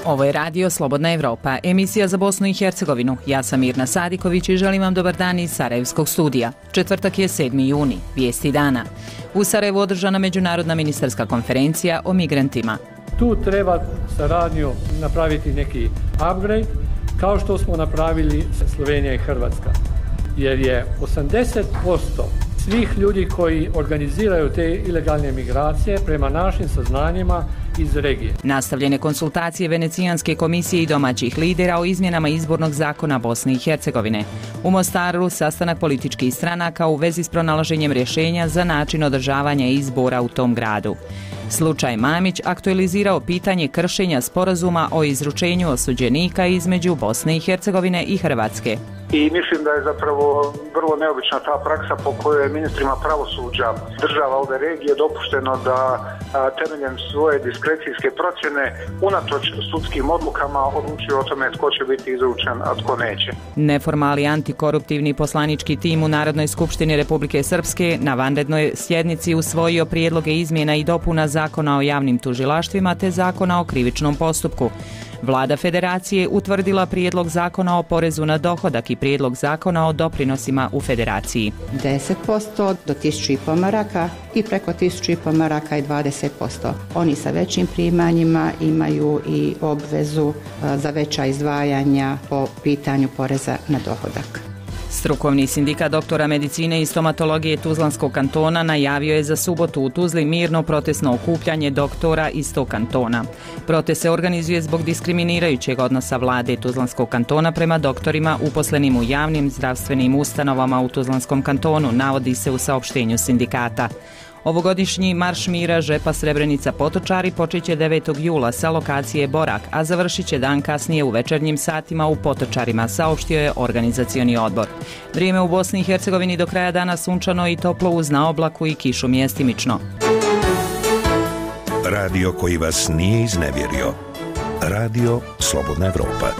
Ovo je Radio Slobodna Evropa, emisija za Bosnu i Hercegovinu. Ja sam Mirna Sadiković i želim vam dobar dan iz Sarajevskog studija. Četvrtak je 7. juni, vijesti dana. U Sarajevu održana međunarodna ministarska konferencija o migrantima. Tu treba saradnju napraviti neki upgrade, kao što smo napravili Slovenija i Hrvatska. Jer je 80% svih ljudi koji organiziraju te ilegalne migracije prema našim saznanjima iz regije. Nastavljene konsultacije Venecijanske komisije i domaćih lidera o izmjenama izbornog zakona Bosne i Hercegovine. U Mostaru sastanak političkih stranaka u vezi s pronalaženjem rješenja za način održavanja izbora u tom gradu. Slučaj Mamić aktualizirao pitanje kršenja sporazuma o izručenju osuđenika između Bosne i Hercegovine i Hrvatske. I mislim da je zapravo vrlo neobična ta praksa po kojoj je ministrima pravosuđa država ove regije dopušteno da temeljem svoje diskrecijske procjene unatoč sudskim odlukama odlučuju o tome tko će biti izručen, a tko neće. Neformalni antikoruptivni poslanički tim u Narodnoj skupštini Republike Srpske na vanrednoj sjednici usvojio prijedloge izmjena i dopuna Zakona o javnim tužilaštvima te Zakona o krivičnom postupku. Vlada Federacije utvrdila prijedlog zakona o porezu na dohodak i prijedlog zakona o doprinosima u Federaciji. 10% do 1.500 maraka i preko 1.500 maraka i 20%. Oni sa većim primanjima imaju i obvezu za veća izdvajanja po pitanju poreza na dohodak. Strukovni sindikat doktora medicine i stomatologije Tuzlanskog kantona najavio je za subotu u Tuzli mirno protestno okupljanje doktora iz tog kantona. Protest se organizuje zbog diskriminirajućeg odnosa vlade Tuzlanskog kantona prema doktorima uposlenim u javnim zdravstvenim ustanovama u Tuzlanskom kantonu, navodi se u saopštenju sindikata. Ovogodišnji marš mira Žepa Srebrenica Potočari počeće 9. jula sa lokacije Borak, a završit će dan kasnije u večernjim satima u Potočarima, saopštio je organizacioni odbor. Vrijeme u Bosni i Hercegovini do kraja dana sunčano i toplo uz na oblaku i kišu mjestimično. Radio koji vas nije iznevjerio. Radio Slobodna Evropa.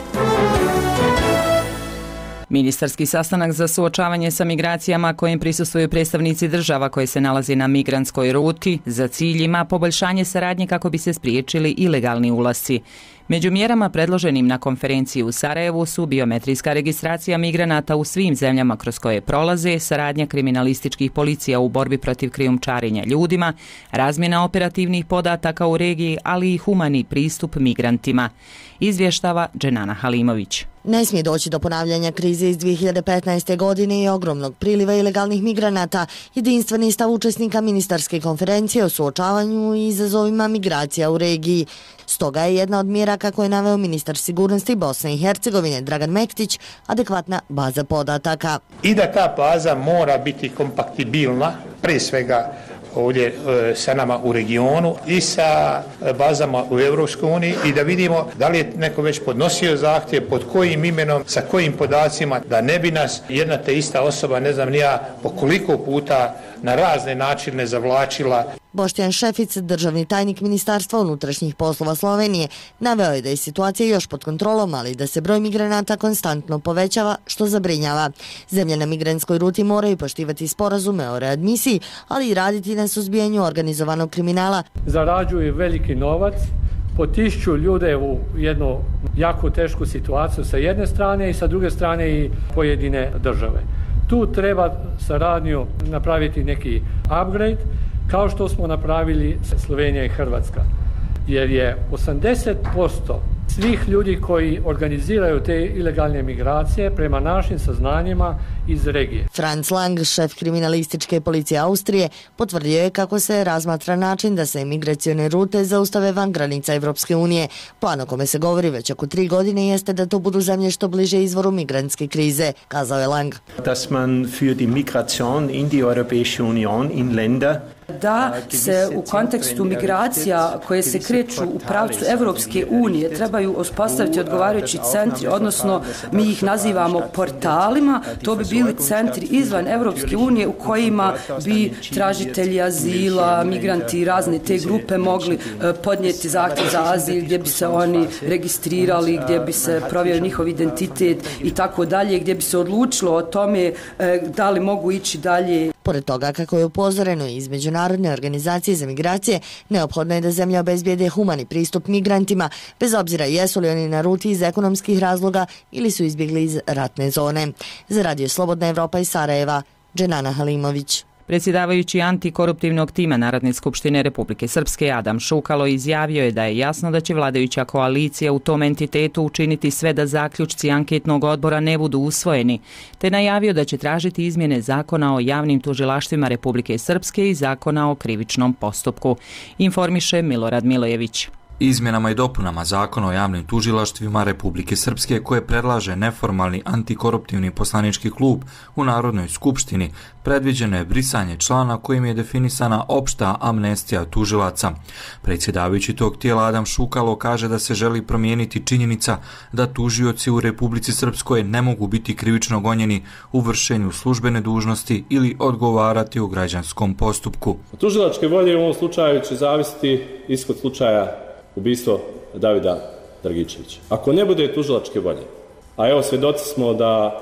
Ministarski sastanak za suočavanje sa migracijama kojim prisustvuju predstavnici država koje se nalaze na migrantskoj ruti za cilj ima poboljšanje saradnje kako bi se spriječili ilegalni ulasci. Među mjerama predloženim na konferenciji u Sarajevu su biometrijska registracija migranata u svim zemljama kroz koje prolaze, saradnja kriminalističkih policija u borbi protiv krijumčarenja ljudima, razmjena operativnih podataka u regiji, ali i humani pristup migrantima. Izvještava Dženana Halimović. Ne smije doći do ponavljanja krize iz 2015. godine i ogromnog priliva ilegalnih migranata. Jedinstveni stav učesnika ministarske konferencije o suočavanju i izazovima migracija u regiji. Stoga je jedna od mjera, kako je naveo ministar sigurnosti Bosne i Hercegovine Dragan Mektić, adekvatna baza podataka. I da ta baza mora biti kompatibilna, prije svega ovdje sa nama u regionu i sa bazama u Europskoj uniji i da vidimo da li je neko već podnosio zahtjev, pod kojim imenom, sa kojim podacima, da ne bi nas jedna te ista osoba, ne znam ni ja, po koliko puta na razne načine zavlačila. Boštjan Šefic, državni tajnik Ministarstva unutrašnjih poslova Slovenije, naveo je da je situacija još pod kontrolom, ali da se broj migranata konstantno povećava, što zabrinjava. Zemlje na migrantskoj ruti moraju poštivati sporazume o readmisiji, ali i raditi na suzbijanju organizovanog kriminala. Zarađuju veliki novac, potišću ljude u jednu jako tešku situaciju sa jedne strane i sa druge strane i pojedine države. Tu treba saradnju napraviti neki upgrade, kao što smo napravili Slovenija i Hrvatska. Jer je 80% svih ljudi koji organiziraju te ilegalne migracije prema našim saznanjima iz regije. Franz Lang, šef kriminalističke policije Austrije, potvrdio je kako se razmatra način da se migracione rute zaustave van granica Evropske unije. Plan o kome se govori već oko 3 godine jeste da to budu zemlje što bliže izvoru migrantske krize, kazao je Lang. Dass man für die Migration in die Europäische Union in Länder da se u kontekstu migracija koje se kreću u pravcu Evropske unije trebaju uspostaviti odgovarajući centri, odnosno mi ih nazivamo portalima. To bi bili centri izvan Evropske unije u kojima bi tražitelji azila, migranti i razne te grupe mogli podnijeti zahtjev za azil, gdje bi se oni registrirali, gdje bi se provjerio njihov identitet i tako dalje, gdje bi se odlučilo o tome da li mogu ići dalje. Pored toga, kako je upozoreno iz Međunarodne organizacije za migracije, neophodno je da zemlja obezbijede humani pristup migrantima, bez obzira jesu li oni na ruti iz ekonomskih razloga ili su izbjegli iz ratne zone. Za Radio Slobodna Evropa iz Sarajeva, Dženana Halimović. Predsjedavajući antikoruptivnog tima Narodne skupštine Republike Srpske Adam Šukalo izjavio je da je jasno da će vladajuća koalicija u tom entitetu učiniti sve da zaključci anketnog odbora ne budu usvojeni, te najavio da će tražiti izmjene zakona o javnim tužilaštvima Republike Srpske i zakona o krivičnom postupku. Informiše Milorad Milojević. Izmjenama i dopunama zakona o javnim tužilaštvima Republike Srpske koje predlaže neformalni antikoruptivni poslanički klub u Narodnoj skupštini predviđeno je brisanje člana kojim je definisana opšta amnestija tužilaca. Predsjedavajući tog tijela Adam Šukalo kaže da se želi promijeniti činjenica da tužioci u Republici Srpskoj ne mogu biti krivično gonjeni u vršenju službene dužnosti ili odgovarati u građanskom postupku. Tužilačke volje u ovom slučaju će zavisiti ishod slučaja ubistvo Davida Dragičevića. Ako ne bude tužilačke volje, a evo svjedoci smo da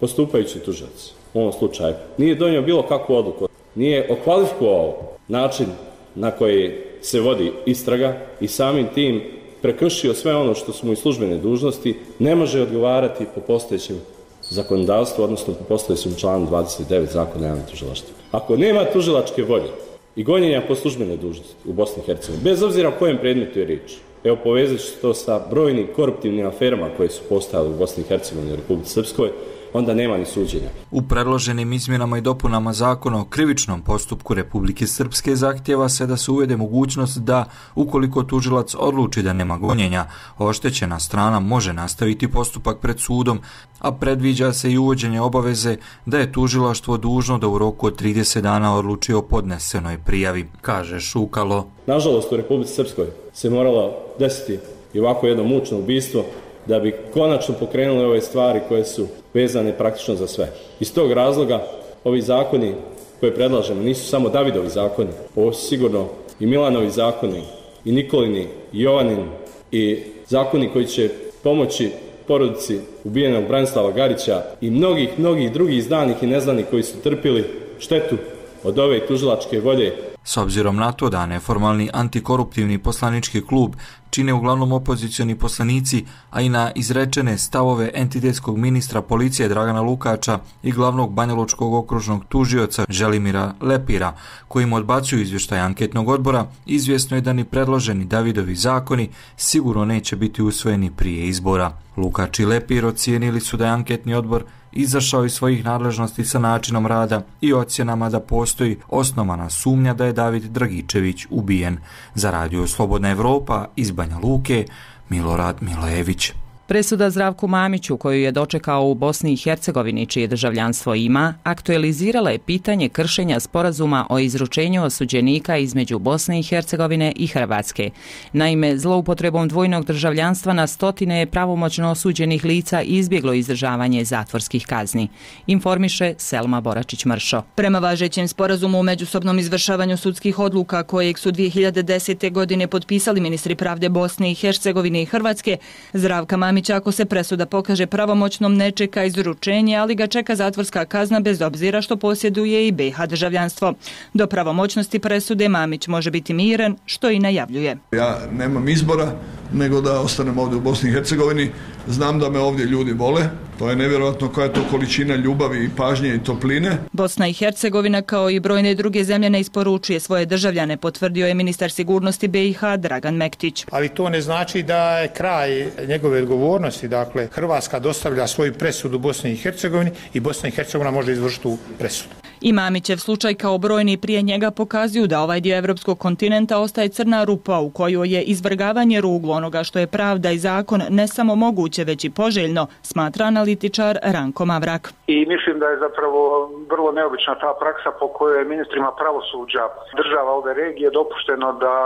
postupajući tužilac u ovom slučaju nije donio bilo kakvu odluku, nije okvalifikovao način na koji se vodi istraga i samim tim prekršio sve ono što su mu i službene dužnosti, ne može odgovarati po postojećem zakonodavstvu, odnosno po postojećem članu 29 Zakona o javnim tužilaštvima. Ako nema tužilačke volje i gonjenja po službenoj dužnosti u Bosni i Hercegovini, bez obzira o kojem predmetu je riječ. Evo, povezat ću to sa brojnim koruptivnim aferama koje su postojale u Bosni i Hercegovini i Republici Srpskoj, onda nema ni suđenja. U predloženim izmjenama i dopunama zakona o krivičnom postupku Republike Srpske zahtjeva se da se uvede mogućnost da, ukoliko tužilac odluči da nema gonjenja, oštećena strana može nastaviti postupak pred sudom, a predviđa se i uvođenje obaveze da je tužilaštvo dužno da u roku od 30 dana odluči o podnesenoj prijavi, kaže Šukalo. Nažalost, u Republici Srpskoj se moralo desiti i ovako jedno mučno ubistvo da bi konačno pokrenuli ove stvari koje su vezane praktično za sve. Iz tog razloga ovi zakoni koje predlažemo nisu samo Davidovi zakoni, ovo su sigurno i Milanovi zakoni, i Nikolini, i Jovanin, i zakoni koji će pomoći porodici ubijenog Branislava Garića i mnogih drugih znanih i neznanih koji su trpili štetu od ove tužilačke volje. S obzirom na to da neformalni antikoruptivni poslanički klub čine uglavnom opozicioni poslanici, a i na izrečene stavove entitetskog ministra policije Dragana Lukača i glavnog banjalučkog okružnog tužioca Želimira Lepira, kojim odbacuju izvještaj anketnog odbora, izvjesno je da ni predloženi Davidovi zakoni sigurno neće biti usvojeni prije izbora. Lukač i Lepir ocijenili su da je anketni odbor izašao iz svojih nadležnosti sa načinom rada i ocjenama da postoji osnovana sumnja da je David Dragičević ubijen. Za Radio Slobodna Evropa iz Banja Luke, Milorad Milojević. Presuda Zdravku Mamiću, koju je dočekao u Bosni i Hercegovini, čije državljanstvo ima, aktualizirala je pitanje kršenja sporazuma o izručenju osuđenika između Bosne i Hercegovine i Hrvatske. Naime, zloupotrebom dvojnog državljanstva na stotine je pravomoćno osuđenih lica izbjeglo izdržavanje zatvorskih kazni. Informiše Selma Boračić-Mršo. Prema važećem sporazumu o međusobnom izvršavanju sudskih odluka, kojeg su 2010. godine potpisali ministri pravde Bosne i Hercegovine i Hrvatske, Zdravka Mamića, ako se presuda pokaže pravomoćnom, ne čeka izručenje, ali ga čeka zatvorska kazna bez obzira što posjeduje i BiH državljanstvo. Do pravomoćnosti presude Mamić može biti miran, što i najavljuje. Ja nemam izbora nego da ostanem ovdje u Bosni i Hercegovini. Znam da me ovdje ljudi vole. To je nevjerojatno koja je to količina ljubavi i pažnje i topline. Bosna i Hercegovina kao i brojne druge zemlje ne isporučuje svoje državljane, potvrdio je ministar sigurnosti BiH Dragan Mektić. Ali to ne znači da je kraj njegove odgovornosti. Dakle, Hrvatska dostavlja svoju presudu Bosni i Hercegovini i Bosna i Hercegovina može izvršiti tu presudu. I Mamićev slučaj kao brojni prije njega pokazuju da ovaj dio evropskog kontinenta ostaje crna rupa u kojoj je izvrgavanje ruglu onoga što je pravda i zakon ne samo moguće, već i poželjno, smatra analitičar Ranko Mavrak. I mislim da je zapravo vrlo neobična ta praksa po kojoj je ministrima pravosuđa država ove regije dopušteno da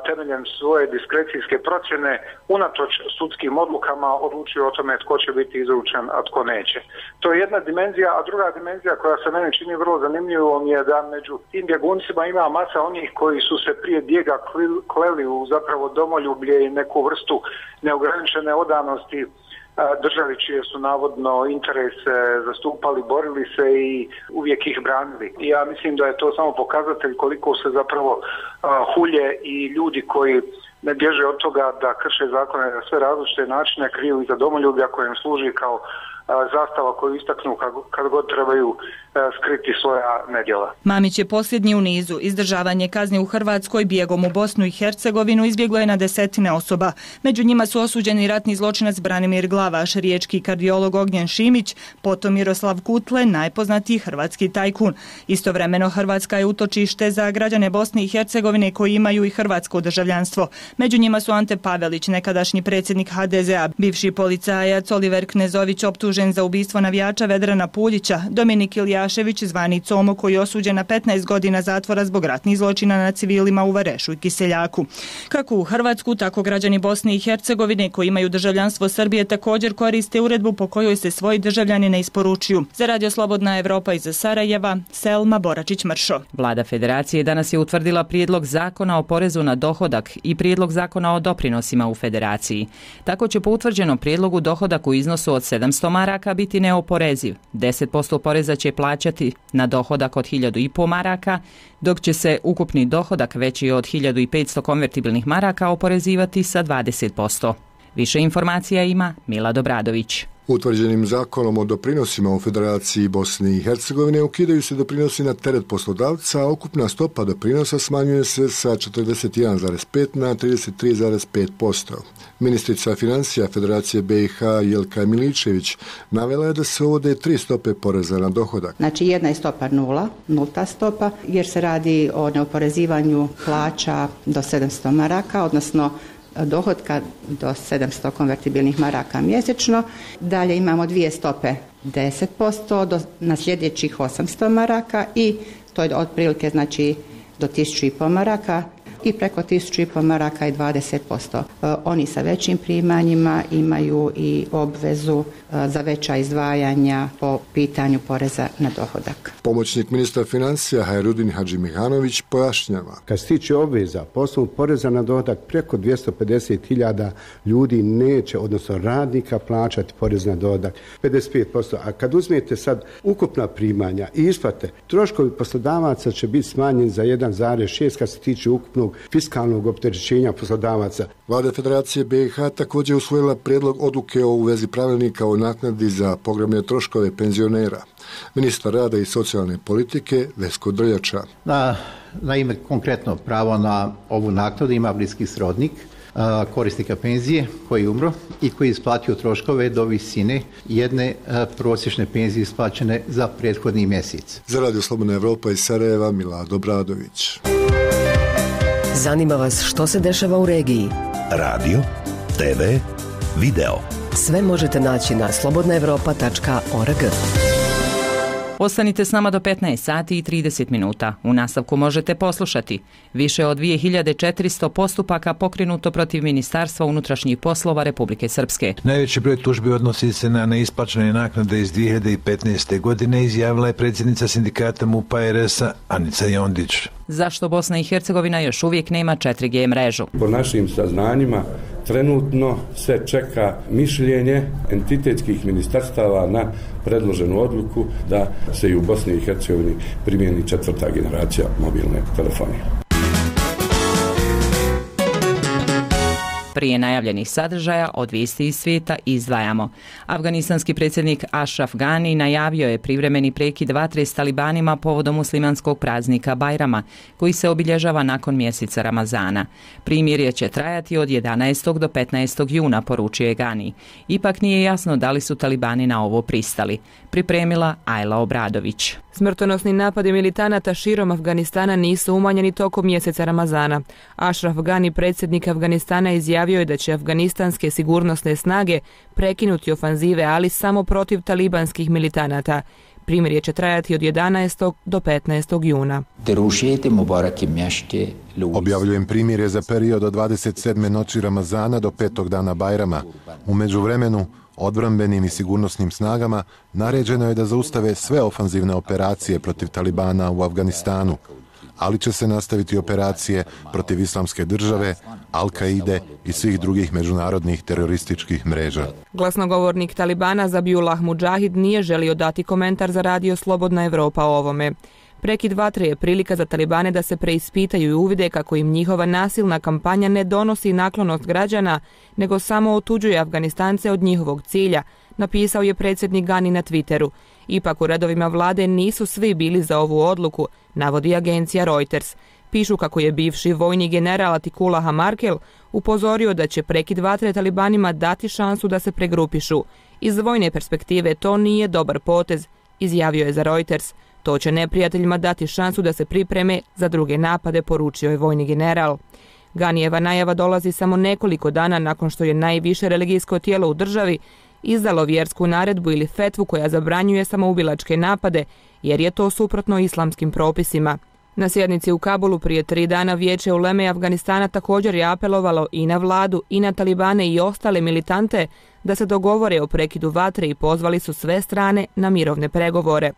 temeljem svoje diskrecijske procjene unatoč sudskim odlukama odlučuju o tome tko će biti izručen, a tko neće. To je jedna dimenzija, a druga dimenzija koja se meni čini vrlo zanimljivom je da među tim bjeguncima ima masa onih koji su se prije bijega kleli u zapravo domoljublje i neku vrstu neograničene odanosti državi čije su navodno interese zastupali, borili se i uvijek ih branili. I ja mislim da je to samo pokazatelj koliko se zapravo hulje i ljudi koji ne bježe od toga da krše zakone na sve različite načine, kriju iza domoljublja koje im služi kao zastava koju istaknu kad god trebaju skriti svoja nedjela. Mamić je posljednji u nizu. Izdržavanje kazne u Hrvatskoj bijegom u Bosnu i Hercegovinu izbjeglo je na desetine osoba. Među njima su osuđeni ratni zločinac Branimir Glavaš, riječki kardiolog Ognjen Šimić, potom Miroslav Kutle, najpoznatiji hrvatski tajkun. Istovremeno Hrvatska je utočište za građane Bosne i Hercegovine koji imaju i hrvatsko državljanstvo. Među njima su Ante Pavelić, nekadašnji predsjednik HDZ-a, bivši policajac Oliver Knezović optužen za ubistvo navijača Vedrana Puljića, Dominik Iljašević zvani Como koji je osuđen na 15 godina zatvora zbog ratnih zločina na civilima u Varešu i Kiseljaku. Kako u Hrvatsku, tako građani Bosne i Hercegovine koji imaju državljanstvo Srbije također koriste uredbu po kojoj se svoji državljani ne isporučuju. Za Radio Slobodna Evropa iz Sarajeva, Selma Boračić-Mršo. Vlada Federacije danas je utvrdila prijedlog zakona o porezu na dohodak i prijedlog zakona o doprinosima u Federaciji. Tako će po utvrđenom prijedlogu dohodak u iznosu od 700 maraka biti neoporeziv. 10% poreza će plaćati na dohodak od 1.500 maraka, dok će se ukupni dohodak veći od 1.500 konvertibilnih maraka oporezivati sa 20%. Više informacija ima Milad Obradović. Utvrđenim zakonom o doprinosima u Federaciji Bosne i Hercegovine ukidaju se doprinosi na teret poslodavca, a ukupna stopa doprinosa smanjuje se sa 41,5 na 33,5%. Ministrica financija Federacije BiH Jelka Miličević navela je da se uvode 3 stope poreza na dohodak. Znači jedna je stopa nulta stopa, jer se radi o neoporezivanju plaća do 700 maraka, odnosno dohotka do 700 konvertibilnih maraka mjesečno. Dalje imamo 2 stope 10% na sljedećih 800 maraka i to je otprilike znači do 1.500 maraka i preko 1.500 maraka i 20%. Oni sa većim primanjima imaju i obvezu za veća izdvajanja po pitanju poreza na dohodak. Pomoćnik ministra financija Hajrudin Hadžimihanović pojašnjava. Kad se tiče obveza po osnovu poreza na dohodak, preko 250.000 ljudi neće, odnosno radnika, plaćati porez na dohodak 55%. A kad uzmete sad ukupna primanja i isplate, troškovi poslodavaca će biti smanjeni za 1,6 kad se tiče ukupnog fiskalnog opterećenja poslodavaca. Vlada Federacije BiH također usvojila prijedlog odluke o uvezi pravilnika o naknadi za pogrebne troškove penzionera. Ministar rada i socijalne politike Vesko Drljača. Naime, konkretno pravo na ovu naknadu ima bliski srodnik korisnika penzije koji je umro i koji je isplatio troškove do visine jedne prosječne penzije isplaćene za prethodni mjesec. Za Radio Slobodna Evropa iz Sarajeva, Milad Obradović. Zanima vas što se dešava u regiji? Radio, TV, video. Sve možete naći na slobodnaevropa.org. Ostanite s nama do 15 sati i 30 minuta. U nastavku možete poslušati. Više od 2400 postupaka pokrenuto protiv Ministarstva unutrašnjih poslova Republike Srpske. Najveći broj tužbi odnosi se na neisplaćene naknade iz 2015. godine, izjavila je predsjednica sindikata MUP-a RS-a Anica Jondić. Zašto Bosna i Hercegovina još uvijek nema 4G mrežu? Po našim saznanjima, trenutno se čeka mišljenje entitetskih ministarstava na predloženu odluku da se i u Bosni i Hercegovini primijeni 4. generacija mobilne telefonije. Prije najavljenih sadržaja od vijesti iz svijeta izdvajamo. Afganistanski predsjednik Ashraf Ghani najavio je privremeni prekid vatre s talibanima povodom muslimanskog praznika Bajrama, koji se obilježava nakon mjeseca Ramazana. Primirje će trajati od 11. do 15. juna, poručio je Ghani. Ipak nije jasno da li su talibani na ovo pristali. Pripremila Ajla Obradović. Smrtonosni napadi militanata širom Afganistana nisu umanjeni tokom mjeseca Ramazana. Ashraf Ghani, predsjednik Afganistana, izjavio je da će afganistanske sigurnosne snage prekinuti ofanzive, ali samo protiv talibanskih militanata. Primirje će trajati od 11. do 15. juna. Objavljujem primirje za period od 27. noći Ramazana do 5. dana Bajrama. U međuvremenu, odbrambenim i sigurnosnim snagama naređeno je da zaustave sve ofanzivne operacije protiv Talibana u Afganistanu. ali će se nastaviti operacije protiv Islamske države, Al-Kaide i svih drugih međunarodnih terorističkih mreža. Glasnogovornik Talibana Zabiullah Mudžahid nije želio dati komentar za radio Slobodna Evropa o ovome. Prekid vatre je prilika za Talibane da se preispitaju i uvide kako im njihova nasilna kampanja ne donosi naklonost građana, nego samo otuđuje Afganistance od njihovog cilja, napisao je predsjednik Gani na Twitteru. Ipak u redovima vlade nisu svi bili za ovu odluku, navodi agencija Reuters. Pišu kako je bivši vojni general Atikula Hamarkel upozorio da će prekid vatre Talibanima dati šansu da se pregrupišu. Iz vojne perspektive to nije dobar potez, izjavio je za Reuters. To će neprijateljima dati šansu da se pripreme za druge napade, poručio je vojni general. Ganijeva najava dolazi samo nekoliko dana nakon što je najviše religijsko tijelo u državi izdalo vjersku naredbu ili fetvu koja zabranjuje samoubilačke napade, jer je to suprotno islamskim propisima. Na sjednici u Kabulu prije 3 dana Vijeće uleme Afganistana također je apelovalo i na vladu i na Talibane i ostale militante da se dogovore o prekidu vatre i pozvali su sve strane na mirovne pregovore.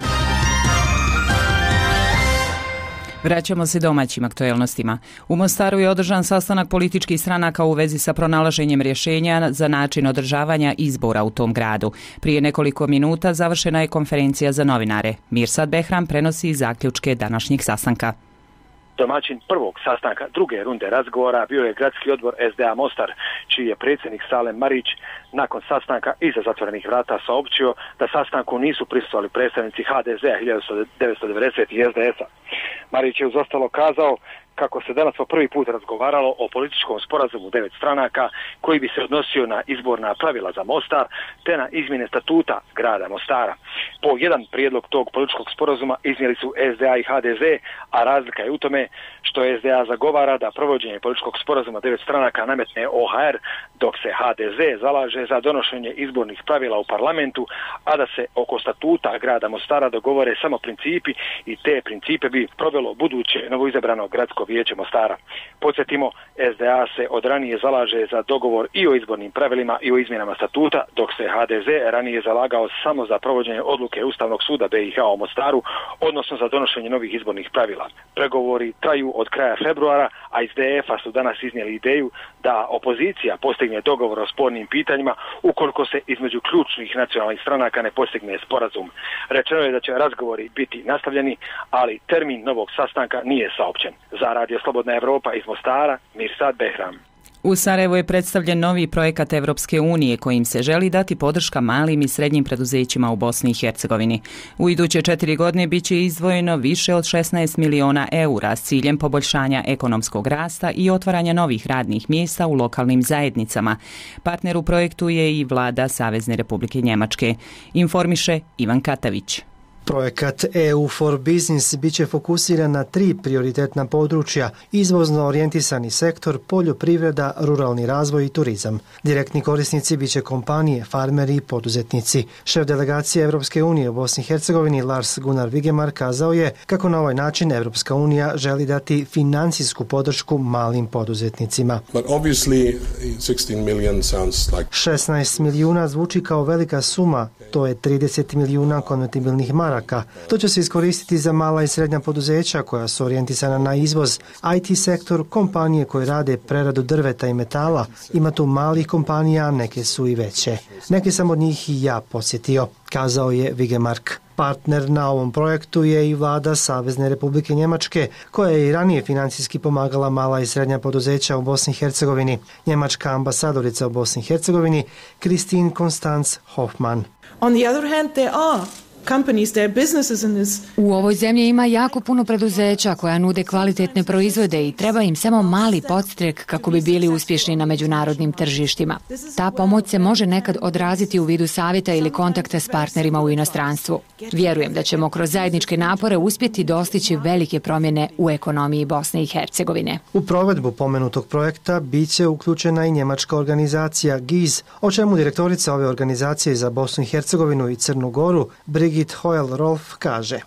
Vraćamo se domaćim aktuelnostima. U Mostaru je održan sastanak političkih stranaka u vezi sa pronalaženjem rješenja za način održavanja izbora u tom gradu. Prije nekoliko minuta završena je konferencija za novinare. Mirsad Behram prenosi zaključke današnjeg sastanka. Domaćin prvog sastanka druge runde razgovora bio je gradski odbor SDA Mostar, čiji je predsjednik Salem Marić nakon sastanka iza zatvorenih vrata saopćio da sastanku nisu prisustvovali predstavnici HDZ-a 1990 i SDS-a. Marić je uz ostalo kazao kako se danas po prvi put razgovaralo o političkom sporazumu 9 stranaka koji bi se odnosio na izborna pravila za Mostar te na izmjene statuta grada Mostara. Po jedan prijedlog tog političkog sporazuma iznijeli su SDA i HDZ, a razlika je u tome što SDA zagovara da provođenje političkog sporazuma 9 stranaka nametne OHR, dok se HDZ zalaže za donošenje izbornih pravila u parlamentu, a da se oko statuta grada Mostara dogovore samo principi i te principe bi provelo buduće novoizabrano gradsko vijeće Mostara. Podsjetimo, SDA se od ranije zalaže za dogovor i o izbornim pravilima i o izmjenama statuta, dok se HDZ ranije zalagao samo za provođenje odluke Ustavnog suda BiH o Mostaru, odnosno za donošenje novih izbornih pravila. Pregovori traju od kraja februara, a iz DF-a su danas iznijeli ideju da opozicija postigne dogovor o spornim pitanjima ukoliko se između ključnih nacionalnih stranaka ne postigne sporazum. Rečeno je da će razgovori biti nastavljeni, ali termin novog sastanka nije saopćen. Za Radio Slobodna Evropa iz Mostara, Mirsad Behram. U Sarajevu je predstavljen novi projekat Evropske unije kojim se želi dati podrška malim i srednjim preduzećima u Bosni i Hercegovini. U iduće 4 godine bit će izdvojeno više od 16 miliona eura s ciljem poboljšanja ekonomskog rasta i otvaranja novih radnih mjesta u lokalnim zajednicama. Partner u projektu je i vlada Savezne Republike Njemačke. Informiše Ivan Katavić. Projekat EU for Business biće fokusiran na 3 prioritetna područja: izvozno orijentisani sektor, poljoprivreda, ruralni razvoj i turizam. Direktni korisnici biće kompanije, farmeri i poduzetnici. Šef delegacije Evropske unije u Bosni i Hercegovini Lars Gunnar Vigemar kazao je kako na ovaj način Evropska unija želi dati financijsku podršku malim poduzetnicima. 16 milijuna zvuči kao velika suma, to je 30 milijuna konvertibilnih maraka. To će se iskoristiti za mala i srednja poduzeća koja su orijentisana na izvoz, IT sektor, kompanije koje rade preradu drveta i metala. Ima tu malih kompanija, neke su i veće. Neke sam od njih i ja posjetio, kazao je Vigemark. Partner na ovom projektu je i vlada Savezne Republike Njemačke, koja je i ranije financijski pomagala mala i srednja poduzeća u Bosni i Hercegovini. Njemačka ambasadorica u Bosni i Hercegovini, Christine Konstanz Hoffmann. On the other hand, there are companies, their businesses in this. U ovoj zemlji ima jako puno preduzeća koja nude kvalitetne proizvode i treba im samo mali podstrek kako bi bili uspješni na međunarodnim tržištima. Ta pomoć se može nekad odraziti u vidu savjeta ili kontakta s partnerima u inostranstvu. Vjerujem da ćemo kroz zajedničke napore uspjeti dostići velike promjene u ekonomiji Bosne i Hercegovine. U provedbu pomenutog projekta bit će uključena i njemačka organizacija GIZ, o čemu direktorica ove organizacije za Bosnu i Hercegovinu i Crnu Goru, Brigitte Birgit Hoyle-Rolf kaže: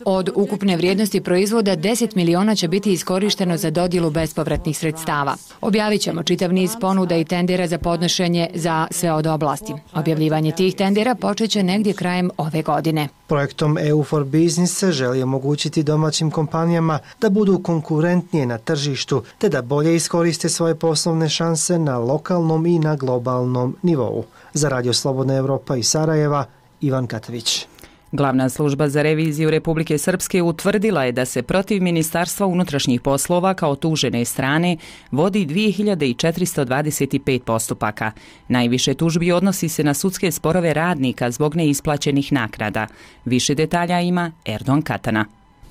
Od ukupne vrijednosti proizvoda 10 miliona će biti iskorišteno za dodjelu bespovratnih sredstava. Objavit ćemo čitav niz ponuda i tendera za podnošenje za sve od oblasti. Objavljivanje tih tendera počet će negdje krajem ove godine. Projektom EU for Business se želi omogućiti domaćim kompanijama da budu konkurentnije na tržištu te da bolje iskoriste svoje poslovne šanse na lokalnom i na globalnom nivou. Za Radio Slobodna Evropa iz Sarajeva, Ivan Katović. Glavna služba za reviziju Republike Srpske utvrdila je da se protiv Ministarstva unutrašnjih poslova kao tužene strane vodi 2425 postupaka. Najviše tužbi odnosi se na sudske sporove radnika zbog neisplaćenih naknada. Više detalja ima Erdogan Katana.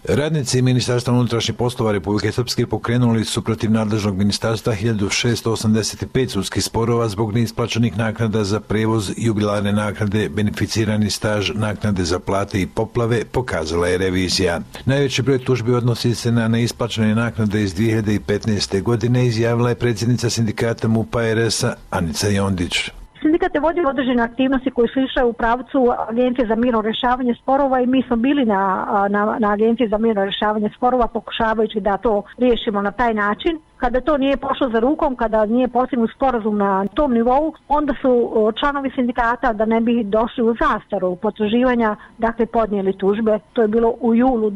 Radnici Ministarstva unutrašnjih poslova Republike Srpske pokrenuli su protiv nadležnog ministarstva 1685 sudskih sporova zbog neisplaćenih naknada za prevoz, jubilarne naknade, beneficirani staž, naknade za plate i poplave, pokazala je revizija. Najveći broj tužbi odnosi se na neisplaćene naknade iz 2015. godine, izjavila je predsjednica sindikata MUP-a RS-a Anica Jondić. Sindikat je vodio određene aktivnosti koje su išle u pravcu Agencije za mirno rješavanje sporova i mi smo bili na Agenciji za mirno rješavanje sporova pokušavajući da to riješimo na taj način. Kada to nije pošlo za rukom, kada nije postignut sporazum na tom nivou, onda su članovi sindikata, da ne bi došli u zastaru potraživanja, dakle podnijeli tužbe. To je bilo u julu 2016.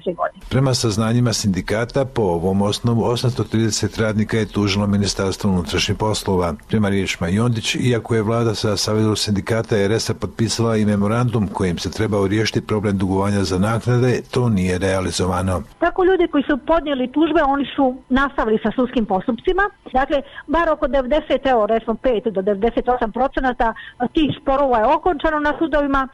godine. Prema saznanjima sindikata, po ovom osnovu 830 radnika je tužilo Ministarstvo unutrašnjih poslova. Prema riječima Jondić, iako je vlada sa Savezom sindikata RS-a potpisala i memorandum kojim se trebao riješiti problem dugovanja za naknade, to nije realizovano. Tako ljudi koji su podnijeli tužbe, oni su nastavili sa sudskim postupcima. Dakle, bar oko 5 do 98% tih sporova je okončano na sudovima,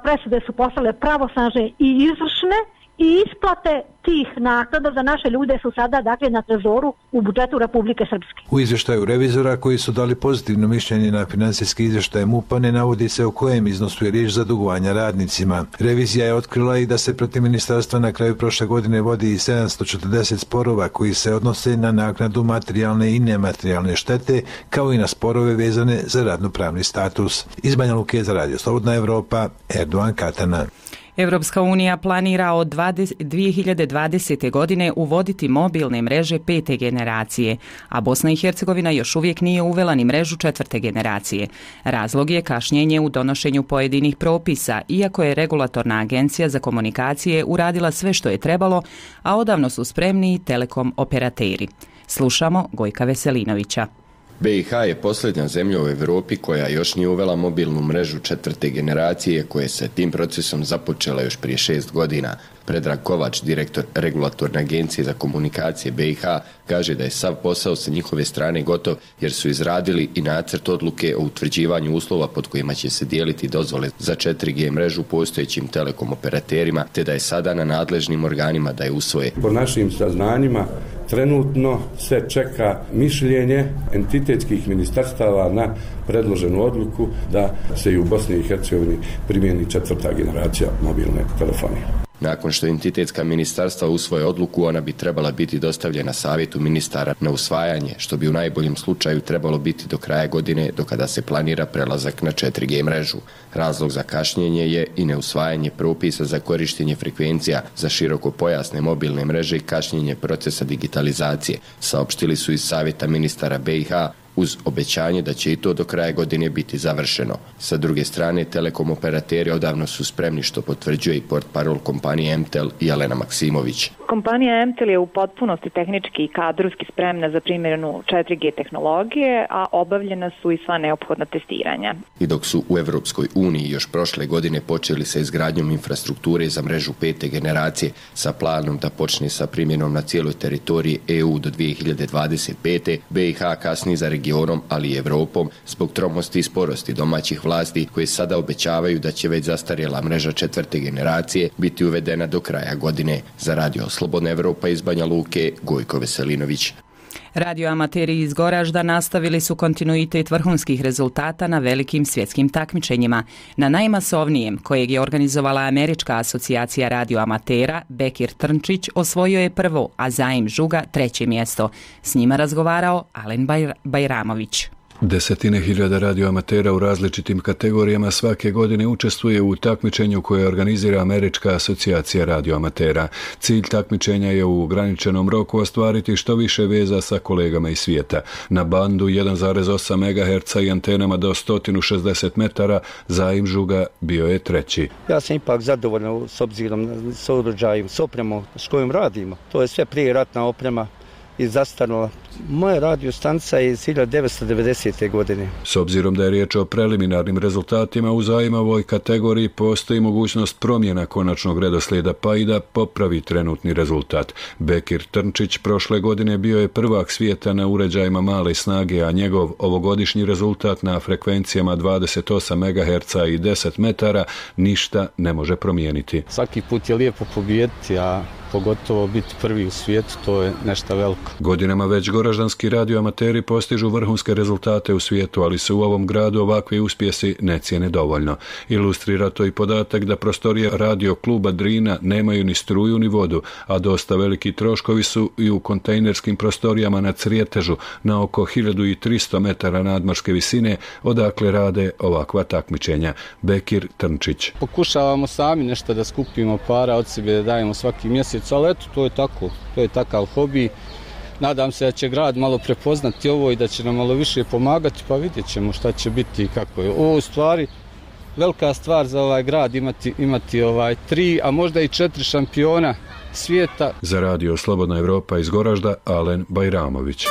presude su postale pravosnažne i izvršne i isplate tih naknada za naše ljude su sada dakle na trezoru u budžetu Republike Srpske. U izvještaju revizora koji su dali pozitivno mišljenje na financijski izvještaj MUP-a ne navodi se o kojem iznosu je riječ za dugovanja radnicima. Revizija je otkrila i da se protiv ministarstva na kraju prošle godine vodi i 740 sporova koji se odnose na naknadu materijalne i nematerijalne štete, kao i na sporove vezane za radnopravni status. Iz Banja Luke za Radio Slobodna Evropa, Erdogan Katana. Evropska unija planira od 2020. godine uvoditi mobilne mreže 5. generacije, a Bosna i Hercegovina još uvijek nije uvela ni mrežu 4. generacije. Razlog je kašnjenje u donošenju pojedinih propisa, iako je regulatorna agencija za komunikacije uradila sve što je trebalo, a odavno su spremni i telekom operateri. Slušamo Gojka Veselinovića. BiH je posljednja zemlja u Europi koja još nije uvela mobilnu mrežu 4. generacije, koje se tim procesom započela još prije 6 godina. Predrag Kovač, direktor regulatorne agencije za komunikacije BiH, kaže da je sav posao sa njihove strane gotov jer su izradili i nacrt odluke o utvrđivanju uslova pod kojima će se dijeliti dozvole za 4G mrežu postojećim telekom operaterima, te da je sada na nadležnim organima da je usvoje. Po našim saznanjima trenutno se čeka mišljenje entitetskih ministarstava na predloženu odluku da se i u Bosni i Hercegovini primijeni 4. generacija mobilne telefonije. Nakon što entitetska ministarstva usvoje odluku, ona bi trebala biti dostavljena savjetu ministara na usvajanje, što bi u najboljem slučaju trebalo biti do kraja godine, do kada se planira prelazak na 4G mrežu. Razlog za kašnjenje je i neusvajanje propisa za korištenje frekvencija za širokopojasne mobilne mreže i kašnjenje procesa digitalizacije, saopštili su iz savjeta ministara BiH, uz obećanje da će i to do kraja godine biti završeno. Sa druge strane, telekom operateri odavno su spremni, što potvrđuje i portparol kompanije MTEL Jelena Maksimović. Kompanija MTEL je u potpunosti tehnički i kadrovski spremna za primjenu 4G tehnologije, a obavljena su i sva neophodna testiranja. I dok su u Evropskoj uniji još prošle godine počeli sa izgradnjom infrastrukture za mrežu 5. generacije sa planom da počne sa primjenom na cijeloj teritoriji EU do 2025. BiH kasni za regionom, ali i Evropom zbog tromosti i sporosti domaćih vlasti koje sada obećavaju da će već zastarjela mreža 4. generacije biti uvedena do kraja godine. Za Radio Slobodna Evropa iz Banja Luke, Gojko Veselinović. Radioamateri iz Goražda nastavili su kontinuitet vrhunskih rezultata na velikim svjetskim takmičenjima. Na najmasovnijem, kojeg je organizovala Američka asocijacija radioamatera, Bekir Trnčić osvojio je prvo, a Zaim Žuga 3. mjesto. S njima razgovarao Alen Bajramović. Desetine hiljada radioamatera u različitim kategorijama svake godine učestvuje u takmičenju koje organizira Američka asocijacija radioamatera. Cilj takmičenja je u ograničenom roku ostvariti što više veza sa kolegama iz svijeta. Na bandu 1,8 MHz i antenama do 160 metara Zaim Žuga bio je treći. Ja sam ipak zadovoljan s obzirom s uređajem, s opremom s kojom radimo. To je sve prije ratna oprema i zastarnula. Moja radiostanca je iz 1990. godine. S obzirom da je riječ o preliminarnim rezultatima u Zaimovoj kategoriji, postoji mogućnost promjena konačnog redoslijeda pa i da popravi trenutni rezultat. Bekir Trnčić prošle godine bio je prvak svijeta na uređajima male snage, a njegov ovogodišnji rezultat na frekvencijama 28 MHz i 10 metara ništa ne može promijeniti. Svaki put je lijepo pobijediti, a pogotovo biti prvi u svijetu, to je nešto veliko. Godinama već goraždanski radioamateri postižu vrhunske rezultate u svijetu, ali se u ovom gradu ovakvi uspjesi ne cijene dovoljno. Ilustrira to i podatak da prostorije radio kluba Drina nemaju ni struju ni vodu, a dosta veliki troškovi su i u kontejnerskim prostorijama na Crijetežu, na oko 1300 metara nadmorske visine, odakle rade ovakva takmičenja. Bekir Trnčić. Pokušavamo sami nešto da skupimo para od sebe, da dajemo svaki mjesec, ali eto, to je tako, to je takav hobi. Nadam se da će grad malo prepoznati ovo i da će nam malo više pomagati, pa vidjet ćemo šta će biti i kako je. Ovo u stvari velika stvar za ovaj grad imati 3, a možda i 4 šampiona svijeta. Za radio Slobodna Evropa iz Goražda, Alen Bajramović.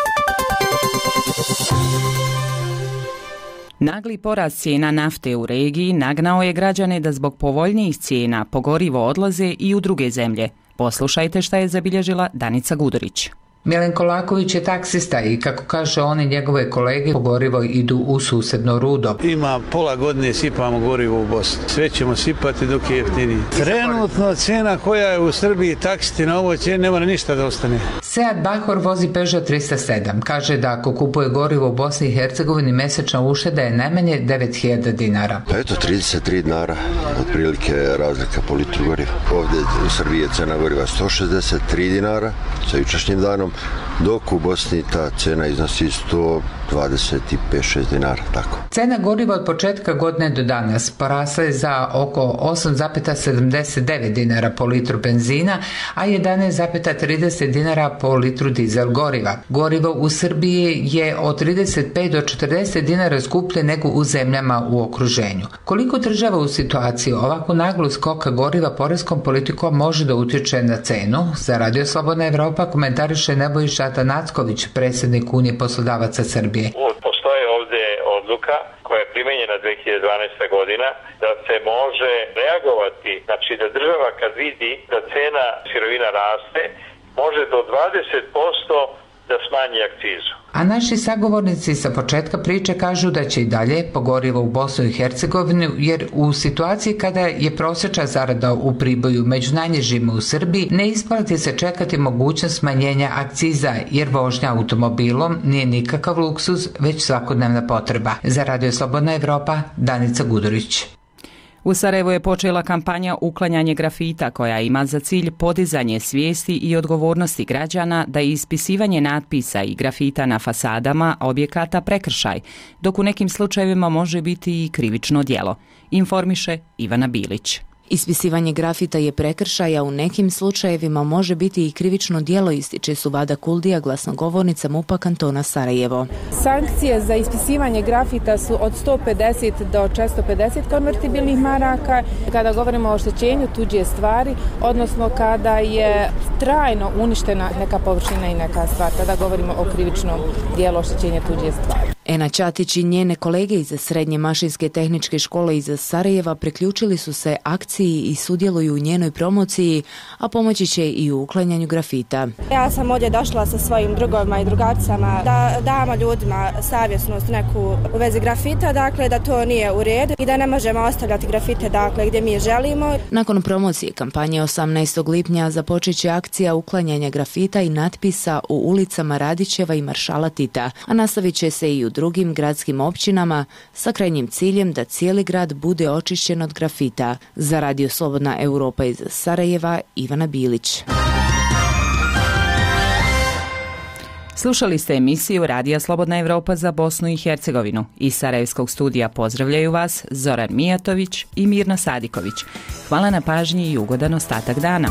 Nagli porast cijena nafte u regiji nagnao je građane da zbog povoljnijih cijena po gorivo odlaze i u druge zemlje. Poslušajte šta je zabilježila Danica Gudurić. Milenko Laković je taksista i kako kaže on i njegove kolege po gorivo idu u susedno Rudo. Ima pola godine sipamo gorivo u Bosni. Sve ćemo sipati dok je jeftiniji. Trenutno cena koja je u Srbiji taksiti na ovoj cijeni ne mora ništa da ostane. Sead Bahor vozi Peugeot 307. Kaže da ako kupuje gorivo u Bosni i Hercegovini mjesečna ušteda je najmanje 9.000 dinara. Pa eto 33 dinara, otprilike razlika po litru goriva. Ovdje u Srbiji je cena goriva 163 dinara sa jučerašnjim danom, dok u Bosni ta cena iznosi 125-6 dinara, tako. Cena goriva od početka godine do danas porasla je za oko 8,79 dinara po litru benzina, a 11,30 dinara po litru dizel goriva. Gorivo u Srbiji je od 35 do 40 dinara skuplje nego u zemljama u okruženju. Koliko država u situaciji ovakvu naglu skoka goriva poreskom politikom može da utječe na cenu? Za Radio Slobodna Evropa komentariše Nebojša Atanacković, predsjednik Unije poslodavaca Srbije. Postoje ovdje odluka koja je primenjena 2012. godina da se može reagovati, znači da država kad vidi da cena sirovina raste, može do 20% da smanji akcizu. A naši sagovornici sa početka priče kažu da će i dalje pogorivo u Bosnu i Hercegovinu, jer u situaciji kada je prosječna zarada u Priboju među najnižima u Srbiji, ne isplati se čekati mogućnost smanjenja akciza, jer vožnja automobilom nije nikakav luksuz, već svakodnevna potreba. Za Radio Slobodna Evropa, Danica Gudurić. U Sarajevu je počela kampanja Uklanjanje grafita koja ima za cilj podizanje svijesti i odgovornosti građana da je ispisivanje natpisa i grafita na fasadama objekata prekršaj, dok u nekim slučajevima može biti i krivično djelo, informiše Ivana Bilić. Ispisivanje grafita je prekršaj, a u nekim slučajevima može biti i krivično djelo, ističe Suvada Kuldija, glasnogovornica MUP-a kantona Sarajevo. Sankcije za ispisivanje grafita su od 150 do 450 konvertibilnih maraka. Kada govorimo o oštećenju tuđe stvari, odnosno kada je trajno uništena neka površina i neka stvar, kada govorimo o krivičnom djelu oštećenja tuđe stvari. Ena Ćatić i njene kolege iz Srednje mašinske tehničke škole iz Sarajeva priključili su se akciji i sudjeluju u njenoj promociji, a pomoći će i u uklanjanju grafita. Ja sam ovdje došla sa svojim drugovima i drugaricama da damo ljudima savjesnost neku u vezi grafita, dakle da to nije u redu i da ne možemo ostavljati grafite dakle gdje mi želimo. Nakon promocije kampanje 18. lipnja započet će akcija uklanjanja grafita i natpisa u ulicama Radićeva i Maršala Tita, a nastavit će se i u drugim gradskim općinama sa krajnjim ciljem da cijeli grad bude očišćen od grafita. Za Radio Slobodna Evropa iz Sarajeva, Ivana Bilić. Slušali ste emisiju Radija Slobodna Evropa za Bosnu i Hercegovinu. Iz Sarajevskog studija pozdravljaju vas Zoran Mijatović i Mirno Sadiković. Hvala na pažnji i ugodan ostatak dana.